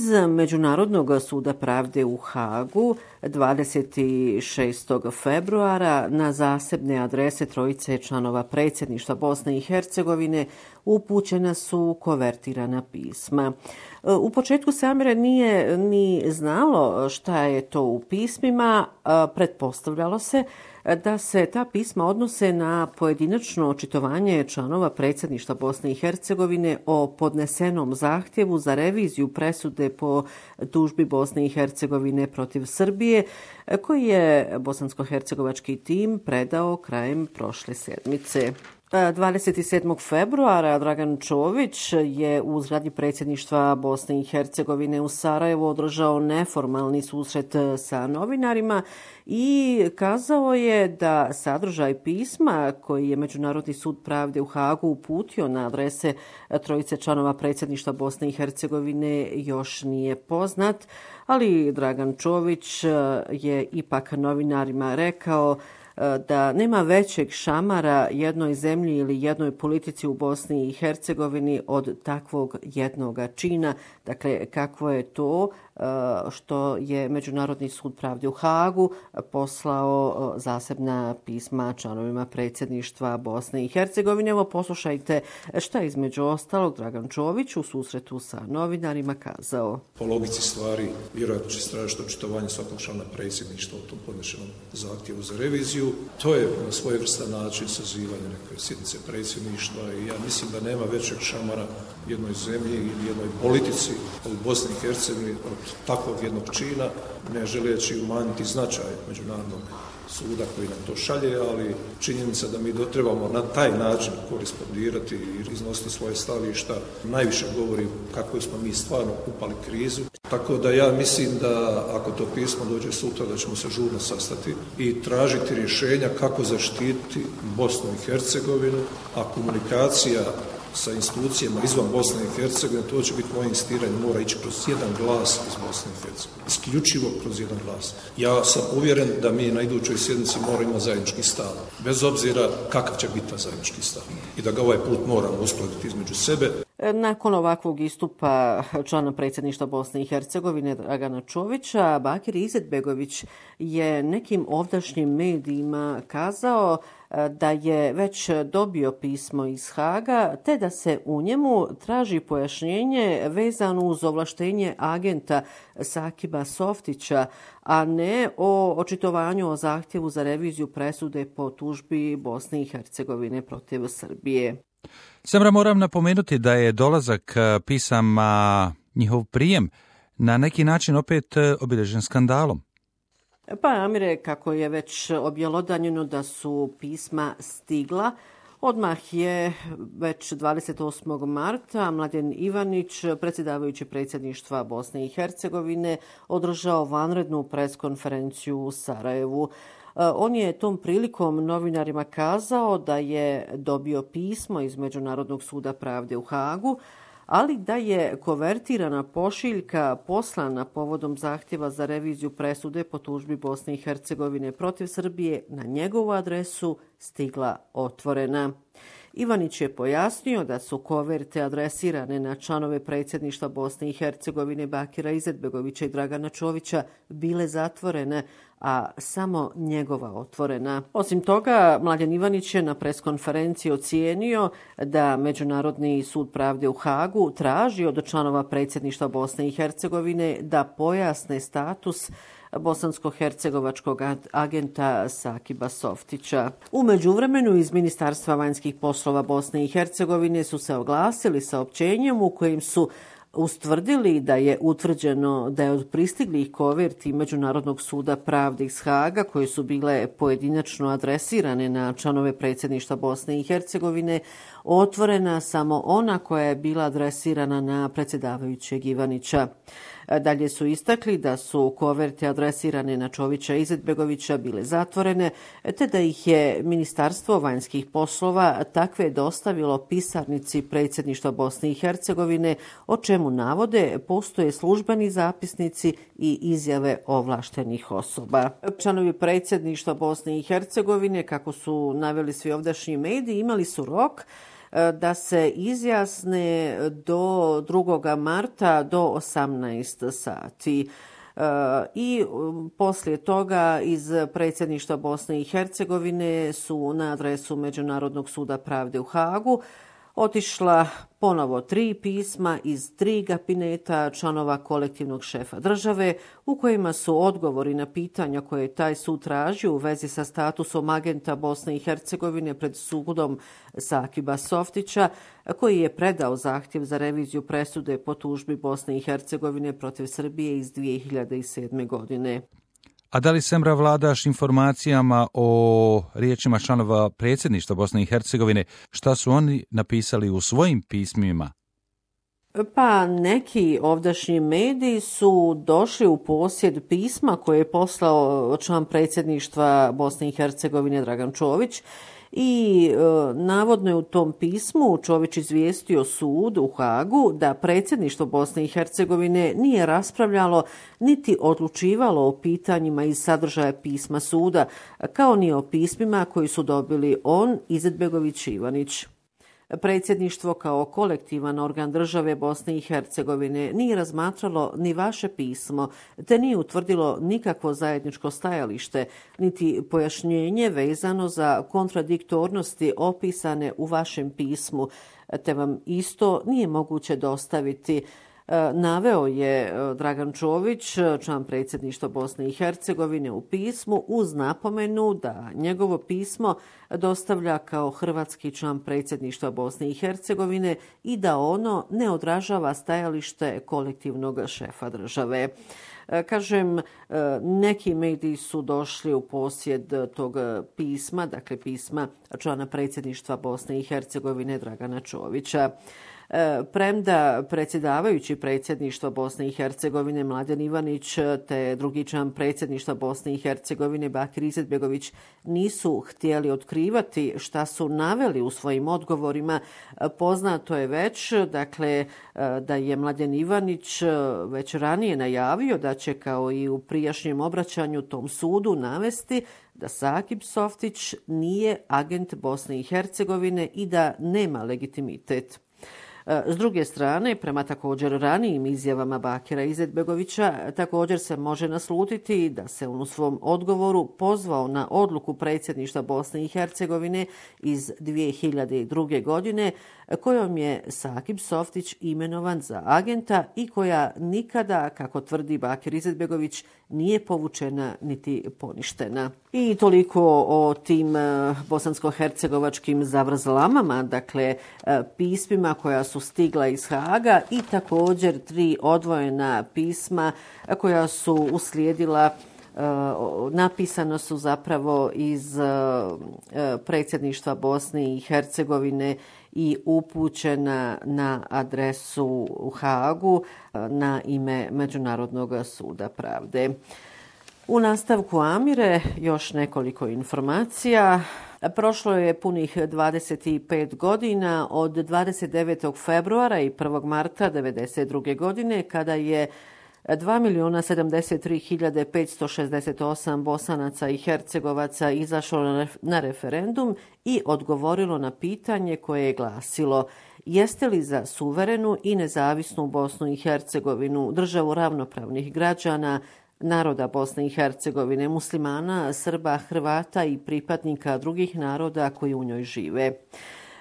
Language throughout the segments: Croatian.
Iz Međunarodnog suda pravde u Hagu 26. februara na zasebne adrese trojice članova predsjedništva Bosne i Hercegovine upućena su kovertirana pisma. U početku se Amire nije ni znalo šta je to u pismima, pretpostavljalo se da se ta pisma odnose na pojedinačno očitovanje članova predsjedništva Bosne i Hercegovine o podnesenom zahtjevu za reviziju presude po tužbi Bosne i Hercegovine protiv Srbije, koji je bosansko-hercegovački tim predao krajem prošle sedmice. 27. februara Dragan Čović je u zgradi predsjedništva Bosne i Hercegovine u Sarajevu održao neformalni susret sa novinarima i kazao je da sadržaj pisma koji je Međunarodni sud pravde u Hagu uputio na adrese trojice članova predsjedništva Bosne i Hercegovine još nije poznat, ali Dragan Čović je ipak novinarima rekao da nema većeg šamara jednoj zemlji ili jednoj politici u Bosni i Hercegovini od takvog jednoga čina. Dakle, kakvo je to što je Međunarodni sud pravde u Hagu poslao zasebna pisma članovima predsjedništva Bosne i Hercegovine. Evo, poslušajte šta je između ostalog Dragan Čović u susretu sa novinarima kazao. Po logici stvari, vjerojatno će tražiti očitovanje svakog člana predsjedništva o tom podnešenom zahtjevu za reviziju. To je na svojevrstan način sazivanje neke sjednice predsjedništva i ja mislim da nema većeg šamara jednoj zemlji ili jednoj politici u Bosni i Hercegovini od takvog jednog čina, ne želeći umanjiti značaj Međunarodnog suda koji nam to šalje, ali činjenica da mi trebamo na taj način korespondirati i iznositi svoje stavišta najviše govori kako smo mi stvarno upali krizu. Tako da ja mislim da ako to pismo dođe sutra da ćemo se žurno sastati i tražiti rješenja kako zaštititi Bosnu i Hercegovinu, a komunikacija sa institucijama izvan Bosne i Hercegovine, to će biti moje insistiranje, mora ići kroz jedan glas iz Bosne i Hercegovine. Isključivo kroz jedan glas. Ja sam uvjeren da mi na idućoj sjednici moramo imati zajednički stav, bez obzira kakav će biti ta zajednički stav. I da ga ovaj put moramo uskladiti između sebe. Nakon ovakvog istupa člana predsjedništva Bosne i Hercegovine Dragana Čovića, Bakir Izetbegović je nekim ovdašnjim medijima kazao da je već dobio pismo iz Haga, te da se u njemu traži pojašnjenje vezano uz ovlaštenje agenta Sakiba Softića, a ne o očitovanju o zahtjevu za reviziju presude po tužbi Bosne i Hercegovine protiv Srbije. Samra, moram napomenuti da je dolazak pisama, njihov prijem, na neki način opet obilježen skandalom. Pa, Amire, kako je već objelodanjeno da su pisma stigla, odmah je već 28. marta Mladen Ivanić, predsjedavajući predsjedništva Bosne i Hercegovine, održao vanrednu preskonferenciju u Sarajevu. On je tom prilikom novinarima kazao da je dobio pismo iz Međunarodnog suda pravde u Hagu, ali da je kovertirana pošiljka poslana povodom zahtjeva za reviziju presude po tužbi Bosne i Hercegovine protiv Srbije na njegovu adresu stigla otvorena. Ivanić je pojasnio da su koverte adresirane na članove predsjedništva Bosne i Hercegovine Bakira Izetbegovića i Dragana Čovića bile zatvorene, a samo njegova otvorena. Osim toga, Mladen Ivanić je na preskonferenciji ocijenio da Međunarodni sud pravde u Hagu traži od članova predsjedništva Bosne i Hercegovine da pojasne status bosansko-hercegovačkog agenta Sakiba Softića. U međuvremenu iz Ministarstva vanjskih poslova Bosne i Hercegovine su se oglasili saopćenjem u kojim su ustvrdili da je utvrđeno da je od pristiglih koverti Međunarodnog suda pravde iz Haga, koje su bile pojedinačno adresirane na članove predsjedništva Bosne i Hercegovine, otvorena samo ona koja je bila adresirana na predsjedavajućeg Ivanića. Dalje su istakli da su koverte adresirane na Čovića i Izetbegovića bile zatvorene, te da ih je Ministarstvo vanjskih poslova takve dostavilo pisarnici predsjedništva Bosne i Hercegovine, o čemu navode postoje službeni zapisnici i izjave ovlaštenih osoba. Članovi predsjedništva Bosne i Hercegovine, kako su naveli svi ovdašnji mediji, imali su rok da se izjasne do 2. marta do 18 sati. I poslije toga iz predsjedništva Bosne i Hercegovine su na adresu Međunarodnog suda pravde u Hagu otišla ponovo 3 pisma iz 3 kabineta članova kolektivnog šefa države u kojima su odgovori na pitanja koje je taj sud tražio u vezi sa statusom agenta Bosne i Hercegovine pred sudom Sakiba Softića, koji je predao zahtjev za reviziju presude po tužbi Bosne i Hercegovine protiv Srbije iz 2007. godine. A da li Semra vladaš informacijama o riječima članova predsjedništva Bosne i Hercegovine, šta su oni napisali u svojim pismima? Pa neki ovdašnji mediji su došli u posjed pisma koje je poslao član predsjedništva Bosne i Hercegovine Dragan Čović i navodno je u tom pismu Čović izvijestio sud u Hagu da predsjedništvo Bosne i Hercegovine nije raspravljalo niti odlučivalo o pitanjima iz sadržaja pisma suda, kao ni o pismima koji su dobili on, Izetbegović i Ivanić. Predsjedništvo kao kolektivan organ države Bosne i Hercegovine nije razmatralo ni vaše pismo, te nije utvrdilo nikakvo zajedničko stajalište, niti pojašnjenje vezano za kontradiktornosti opisane u vašem pismu, te vam isto nije moguće dostaviti. Naveo je Dragan Čović, član predsjedništva Bosne i Hercegovine, u pismu uz napomenu da njegovo pismo dostavlja kao hrvatski član predsjedništva Bosne i Hercegovine i da ono ne odražava stajalište kolektivnog šefa države. Kažem, neki mediji su došli u posjed tog pisma, dakle pisma člana predsjedništva Bosne i Hercegovine Dragana Čovića. Premda predsjedavajući predsjedništva Bosne i Hercegovine Mladen Ivanić te drugi član predsjedništva Bosne i Hercegovine Bakir Izetbegović nisu htjeli otkrivati šta su naveli u svojim odgovorima, poznato je već dakle, da je Mladen Ivanić već ranije najavio da će kao i u prijašnjem obraćanju tom sudu navesti da Sakib Softić nije agent Bosne i Hercegovine i da nema legitimitet. S druge strane, prema također ranijim izjavama Bakira Izetbegovića, također se može naslutiti da se on u svom odgovoru pozvao na odluku predsjedništva Bosne i Hercegovine iz 2002. godine, kojom je Sakib Softić imenovan za agenta i koja nikada, kako tvrdi Bakir Izetbegović, nije povučena niti poništena. I toliko o tim bosansko-hercegovačkim zavrzlamama, dakle pismima koja su stigla iz Haga i također 3 odvojena pisma koja su uslijedila, napisano su zapravo iz predsjedništva Bosne i Hercegovine i upućena na adresu u Hagu na ime Međunarodnog suda pravde. U nastavku Amire još nekoliko informacija. Prošlo je punih 25 godina od 29. februara i 1. marta 1992. godine kada je 2.073.568 Bosanaca i Hercegovaca izašlo na referendum i odgovorilo na pitanje koje je glasilo: jeste li za suverenu i nezavisnu Bosnu i Hercegovinu, državu ravnopravnih građana, naroda Bosne i Hercegovine, muslimana, Srba, Hrvata i pripadnika drugih naroda koji u njoj žive?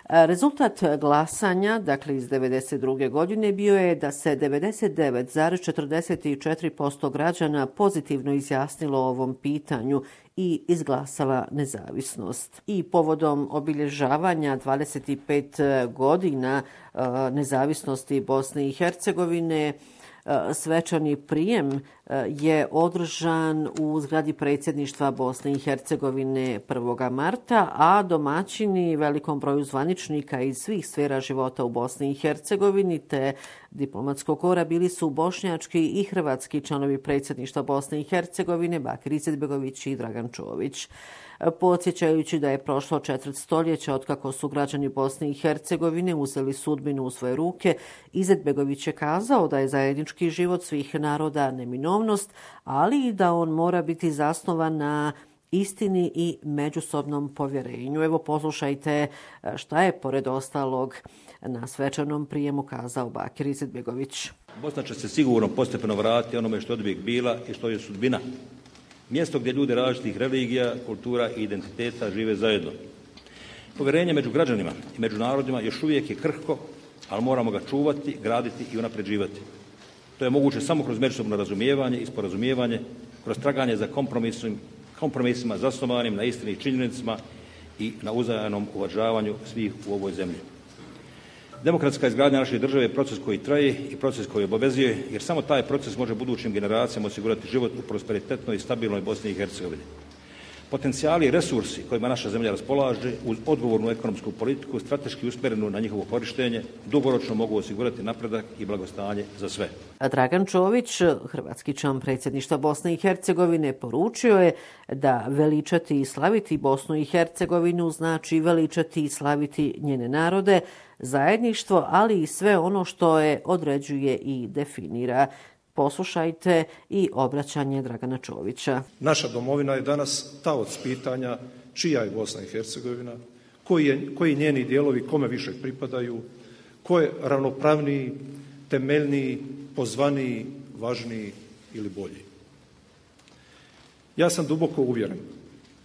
Rezultat glasanja, dakle iz 1992. godine, bio je da se 99,44% građana pozitivno izjasnilo o ovom pitanju i izglasala nezavisnost. I povodom obilježavanja 25 godina nezavisnosti Bosne i Hercegovine, svečani prijem je održan u zgradi predsjedništva Bosne i Hercegovine 1. marta, a domaćini velikom broju zvaničnika iz svih sfera života u Bosni i Hercegovini te diplomatskog kora bili su bošnjački i hrvatski članovi predsjedništva Bosne i Hercegovine Bakir Izetbegović i Dragan Čović. Podsjećajući da je prošlo 4 stoljeća otkako su građani Bosne i Hercegovine uzeli sudbinu u svoje ruke, Izetbegović je kazao da je zajednički život svih naroda neminovnost, ali i da on mora biti zasnovan na istini i međusobnom povjerenju. Evo poslušajte šta je pored ostalog na svečanom prijemu kazao Bakir Izetbegović. Bosna će se sigurno postepeno vratiti onome što je oduvijek bila i što je sudbina. Mjesto gdje ljudi različitih religija, kultura i identiteta žive zajedno. Povjerenje među građanima i među narodima još uvijek je krhko, ali moramo ga čuvati, graditi i unapređivati. To je moguće samo kroz međusobno razumijevanje i sporazumijevanje, kroz traganje za kompromisima zasnovanim na istini i činjenicama i na uzajamnom uvažavanju svih u ovoj zemlji. Demokratska izgradnja naše države je proces koji traje i proces koji obavezuje, jer samo taj proces može budućim generacijama osigurati život u prosperitetnoj i stabilnoj Bosni i Hercegovini. Potencijali i resursi kojima naša zemlja raspolaže uz odgovornu ekonomsku politiku strateški usmjerenu na njihovo korištenje dugoročno mogu osigurati napredak i blagostanje za sve. Dragan Čović, hrvatski član predsjedništva Bosne i Hercegovine, poručio je da veličati i slaviti Bosnu i Hercegovinu znači veličati i slaviti njene narode, zajedništvo, ali i sve ono što je određuje i definira. Poslušajte i obraćanje Dragana Čovića. Naša domovina je danas taoc pitanja čija je Bosna i Hercegovina, koji njeni dijelovi kome više pripadaju, ko je ravnopravniji, temeljniji, pozvaniji, važniji ili bolji. Ja sam duboko uvjeren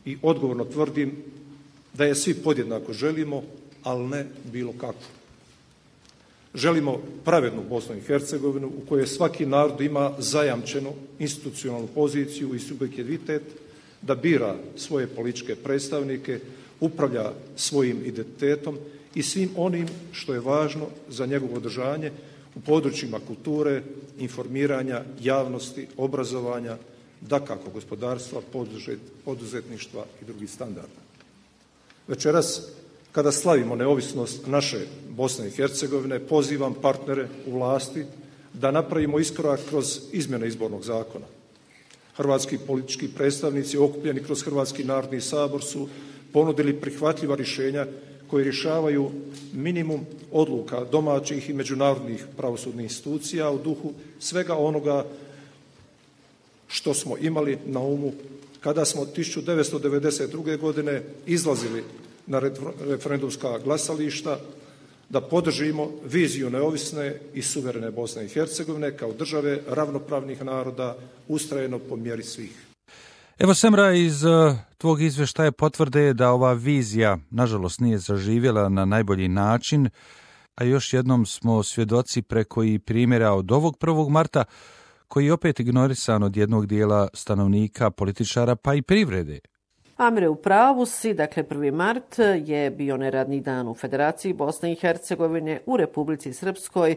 i odgovorno tvrdim da je svi podjednako želimo, ali ne bilo kako. Želimo pravednu Bosnu i Hercegovinu u kojoj svaki narod ima zajamčenu institucionalnu poziciju i subjektivitet da bira svoje političke predstavnike, upravlja svojim identitetom i svim onim što je važno za njegovo održanje u područjima kulture, informiranja, javnosti, obrazovanja, dakako gospodarstva, poduzetništva i drugih standarda. Večeras, kada slavimo neovisnost naše Bosne i Hercegovine, pozivam partnere u vlasti da napravimo iskorak kroz izmjene izbornog zakona. Hrvatski politički predstavnici okupljeni kroz Hrvatski narodni sabor su ponudili prihvatljiva rješenja koji rješavaju minimum odluka domaćih i međunarodnih pravosudnih institucija u duhu svega onoga što smo imali na umu kada smo 1992. godine izlazili na referendumska glasališta da podržimo viziju neovisne i suverene Bosne i Hercegovine kao države ravnopravnih naroda ustrajeno po mjeri svih. Evo Semra, iz tvog izvještaja potvrde da ova vizija nažalost nije zaživjela na najbolji način, a još jednom smo svjedoci preko i primjera od ovog 1. marta koji je opet ignorisan od jednog dijela stanovnika, političara pa i privrede. Amire, u pravu si, dakle 1. mart je bio neradni dan u Federaciji Bosne i Hercegovine, u Republici Srpskoj,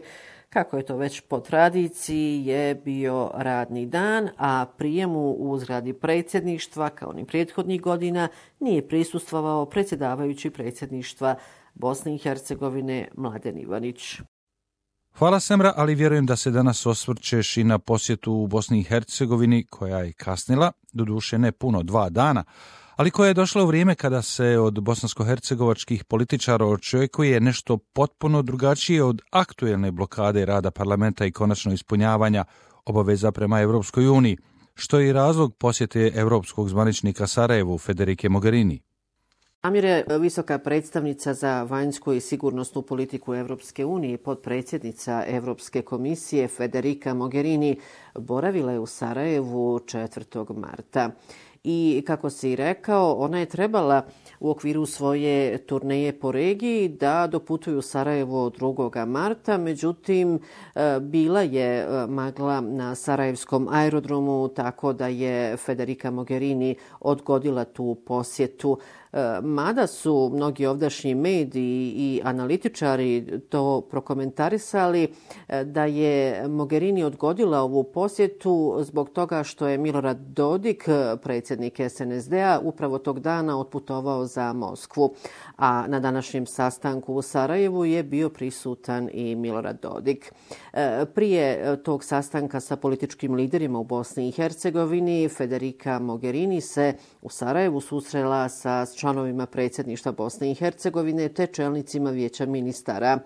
kako je to već po tradiciji, je bio radni dan, a prijemu u zgradi predsjedništva, kao ni prethodnih godina, nije prisustvovao predsjedavajući predsjedništva Bosne i Hercegovine Mladen Ivanić. Hvala Semra, ali vjerujem da se danas osvrćeš i na posjetu u Bosni i Hercegovini, koja je kasnila, doduše ne puno, 2 dana, ali koja je došla u vrijeme kada se od bosansko-hercegovačkih političara očekuje nešto potpuno drugačije od aktuelne blokade rada parlamenta i konačno ispunjavanja obaveza prema Europskoj uniji, što je i razlog posjete europskog zvaničnika Sarajevu Federike Mogherini. Amire, visoka predstavnica za vanjsku i sigurnosnu politiku Europske unije, potpredsjednica Europske komisije Federica Mogherini, boravila je u Sarajevu 4. marta. I kako si rekao, ona je trebala u okviru svoje turneje po regiji da doputuju u Sarajevo 2. marta, međutim bila je magla na sarajevskom aerodromu, tako da je Federica Mogherini odgodila tu posjetu. Mada su mnogi ovdašnji mediji i analitičari to prokomentarisali da je Mogherini odgodila ovu posjetu zbog toga što je Milorad Dodik, predsjednik SNSD-a, upravo tog dana otputovao za Moskvu. A na današnjem sastanku u Sarajevu je bio prisutan i Milorad Dodik. Prije tog sastanka sa političkim liderima u Bosni i Hercegovini, Federica Mogherini se u Sarajevu susrela sa članovima predsjedništva Bosne i Hercegovine te čelnicima vijeća ministara.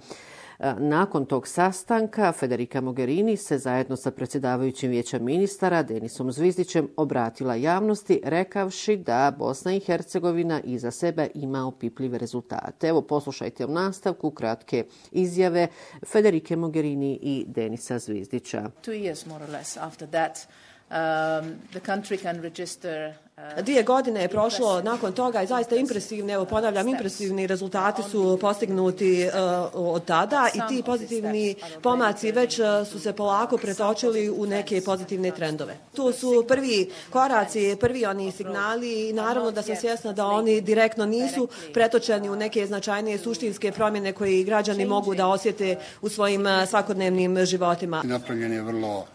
Nakon tog sastanka Federica Mogherini se zajedno sa predsjedavajućim Vijeća ministara Denisom Zvizdićem obratila javnosti rekavši da Bosna i Hercegovina iza sebe ima opipljive rezultate. Evo poslušajte u nastavku kratke izjave Federike Mogherini i Denisa Zvizdića. 2 years more or less after that, the country can register 2 godine je prošlo nakon toga i zaista impresivni, evo ponavljam, impresivni rezultati su postignuti od tada i ti pozitivni pomaci već su se polako pretočili u neke pozitivne trendove. Tu su prvi koraci, prvi oni signali i naravno da sam svjesna da oni direktno nisu pretočeni u neke značajnije suštinske promjene koje građani mogu da osjete u svojim svakodnevnim životima. Napravljen je vrlo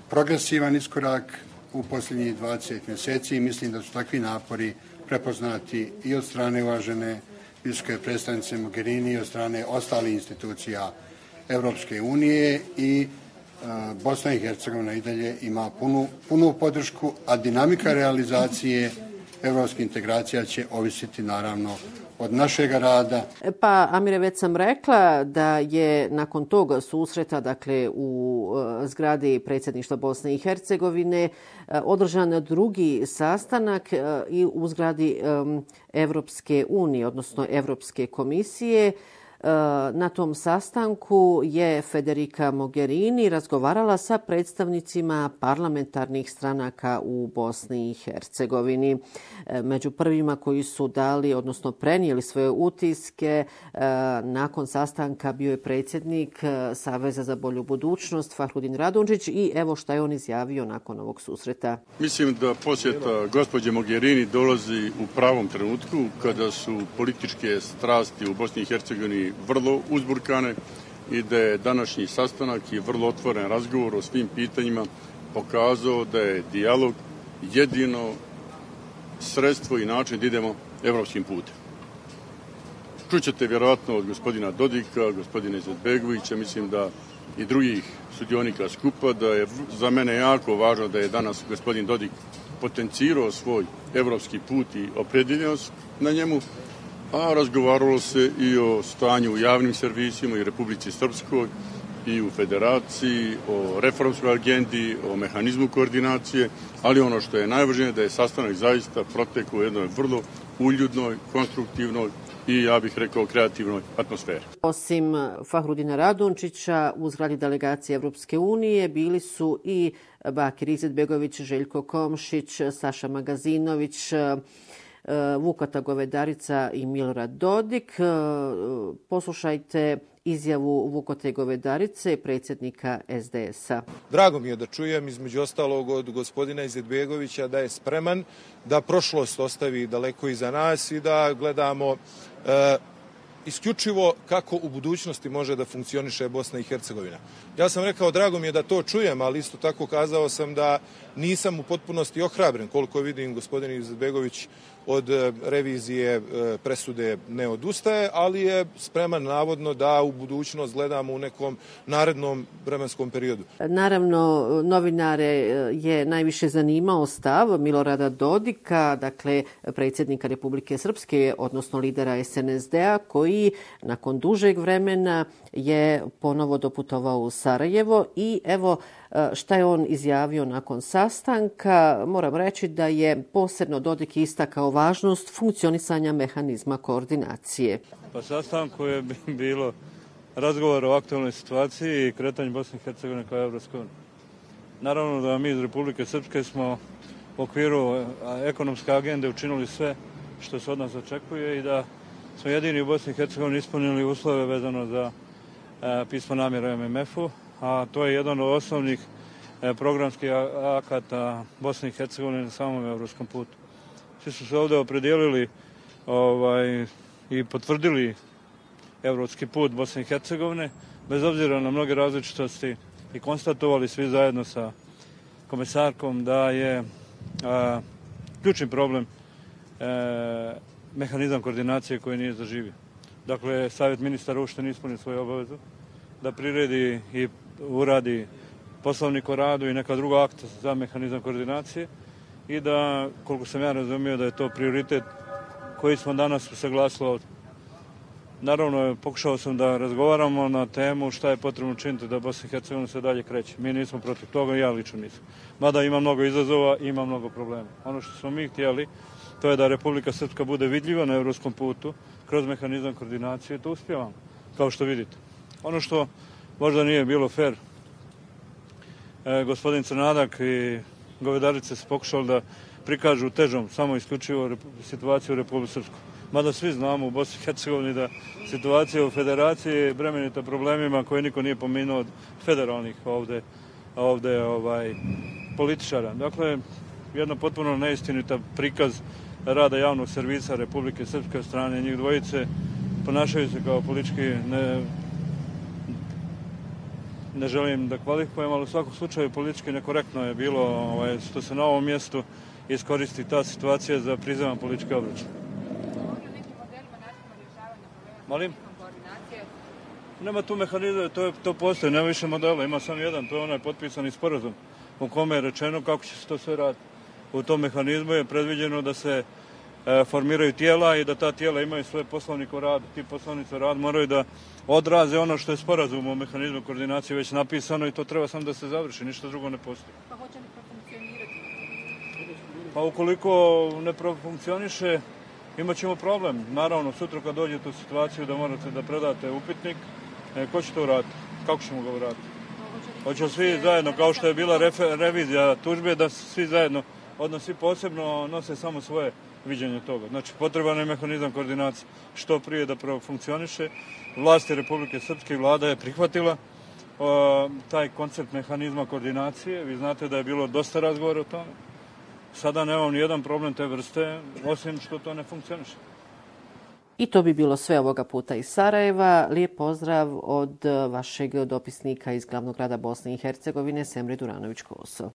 progresivan iskorak u posljednjih 20 mjeseci i mislim da su takvi napori prepoznati i od strane uvažene visoke predstavnice Mogherini i od strane ostalih institucija Europske unije i Bosna i Hercegovina i dalje ima punu podršku, a dinamika realizacije europskih integracija će ovisiti naravno od našega rada. Pa, Amire, već sam rekla da je nakon tog susreta, dakle u zgradi predsjedništva Bosne i Hercegovine, održan drugi sastanak i u zgradi Evropske unije, odnosno Evropske komisije. Na tom sastanku je Federica Mogherini razgovarala sa predstavnicima parlamentarnih stranaka u Bosni i Hercegovini. Među prvima koji su dali, odnosno prenijeli svoje utiske nakon sastanka bio je predsjednik Saveza za bolju budućnost Fahrudin Radončić i evo šta je on izjavio nakon ovog susreta. Mislim da posjeta gospođe Mogherini dolazi u pravom trenutku kada su političke strasti u Bosni i Hercegovini vrlo uzburkane i da je današnji sastanak i vrlo otvoren razgovor o svim pitanjima pokazao da je dijalog jedino sredstvo i način da idemo evropskim putem. Čućete vjerojatno od gospodina Dodika, gospodina Izetbegovića, mislim da i drugih sudionika skupa, da je za mene jako važno da je danas gospodin Dodik potencirao svoj evropski put i opredjeljenost na njemu, a razgovaralo se i o stanju u javnim servisima i Republici Srpskoj i u Federaciji, o reformskoj agendi, o mehanizmu koordinacije, ali ono što je najvažnije da je sastanak zaista protekao u jednoj vrlo uljudnoj, konstruktivnoj i, ja bih rekao, kreativnoj atmosferi. Osim Fahrudina Radončića, u zgradi delegacije Evropske unije bili su i Bakir Izetbegović, Željko Komšić, Saša Magazinović, Vukata Govedarica i Milorad Dodik. Poslušajte izjavu Vukote Govedarice, predsjednika SDS-a. Drago mi je da čujem, između ostalog, od gospodina Izetbegovića da je spreman da prošlost ostavi daleko iza nas i da gledamo isključivo kako u budućnosti može da funkcioniše Bosna i Hercegovina. Ja sam rekao, drago mi je da to čujem, ali isto tako kazao sam da nisam u potpunosti ohrabren. Koliko vidim, gospodin Izetbegović od revizije presude ne odustaje, ali je spreman navodno da u budućnost gledamo u nekom narednom vremenskom periodu. Naravno, novinare je najviše zanimao stav Milorada Dodika, dakle predsjednika Republike Srpske, odnosno lidera SNSD-a, koji nakon dužeg vremena je ponovo doputovao u Sarajevo i evo šta je on izjavio nakon sastanka. Moram reći da je posebno Dodik istakao važnost funkcionisanja mehanizma koordinacije. Pa sastanku je bilo razgovor o aktualnoj situaciji i kretanju Bosne i Hercegovine kao Evropske unije. Naravno da mi iz Republike Srpske smo u okviru ekonomske agende učinili sve što se od nas očekuje i da smo jedini u Bosni i Hercegovini ispunili uslove vezano za pismo namjera MMF-u, a to je jedan od osnovnih programskih akata Bosne i Hercegovine na samom evropskom putu. Svi su se ovdje opredijelili i potvrdili evropski put Bosne i Hercegovine, bez obzira na mnoge različitosti i konstatovali svi zajedno sa komesarkom da je ključni problem mehanizam koordinacije koji nije zaživio. Dakle, Savjet ministara uopšte nije ispunio svoju obavezu da priredi i uradi poslovnik o radu i neka druga akta za mehanizam koordinacije i da, koliko sam ja razumio, da je to prioritet koji smo danas usaglasili ovdje. Naravno, pokušao sam da razgovaramo na temu šta je potrebno činiti da Bosna i Hercegovina se dalje kreće. Mi nismo protiv toga, ja lično nisam. Mada ima mnogo izazova i ima mnogo problema. Ono što smo mi htjeli, to je da Republika Srpska bude vidljiva na evropskom putu kroz mehanizam koordinacije, to uspijevamo, kao što vidite. Ono što možda nije bilo fair, gospodin Crnadak i Govedarice se pokušali da prikažu težom samo isključivo situaciju u Republike Srpskoj. Mada svi znamo u Bosni i Hercegovini da situacija u federaciji je bremenita problemima koje niko nije pomenuo od federalnih ovde političara. Dakle, jedna potpuno neistinita prikaz rada javnog servisa Republike Srpske od strane njih dvojice, ponašaju se kao politički, ne želim da kvalifikujem, ali u svakom slučaju politički nekorektno je bilo što se na ovom mjestu iskoristi ta situacija za prizeman politički obračun. Molim? Nema tu mehanizma, to postoji, nema više modela, ima samo jedan, to je onaj potpisani sporazum u kome je rečeno kako će se to sve raditi. U tom mehanizmu je predviđeno da se formiraju tijela i da ta tijela imaju svoje poslovnike u radu. Ti poslovnici u radu moraju da odraze ono što je sporazum o mehanizmu koordinacije već napisano i to treba samo da se završi, ništa drugo ne postoji. Pa hoće li profunkcionirati? Pa ukoliko ne profunkcioniše, imat ćemo problem. Naravno, sutra kad dođete u situaciju da morate da predate upitnik, ko će to uraditi? Kako ćemo ga uraditi? Hoće svi zajedno, kao što je bila revizija tužbe, da svi zajedno, odnosno svi posebno nose samo svoje viđenje toga. Znači, potreban je mehanizam koordinacije što prije da profunkcioniše. Vlasti Republike Srpske i vlada je prihvatila taj koncept mehanizma koordinacije. Vi znate da je bilo dosta razgovora o tome. Sada nemam nijedan problem te vrste, osim što to ne funkcioniše. I to bi bilo sve ovoga puta iz Sarajeva. Lijep pozdrav od vašeg dopisnika iz glavnog grada Bosne i Hercegovine, Semre Duranović-Koso.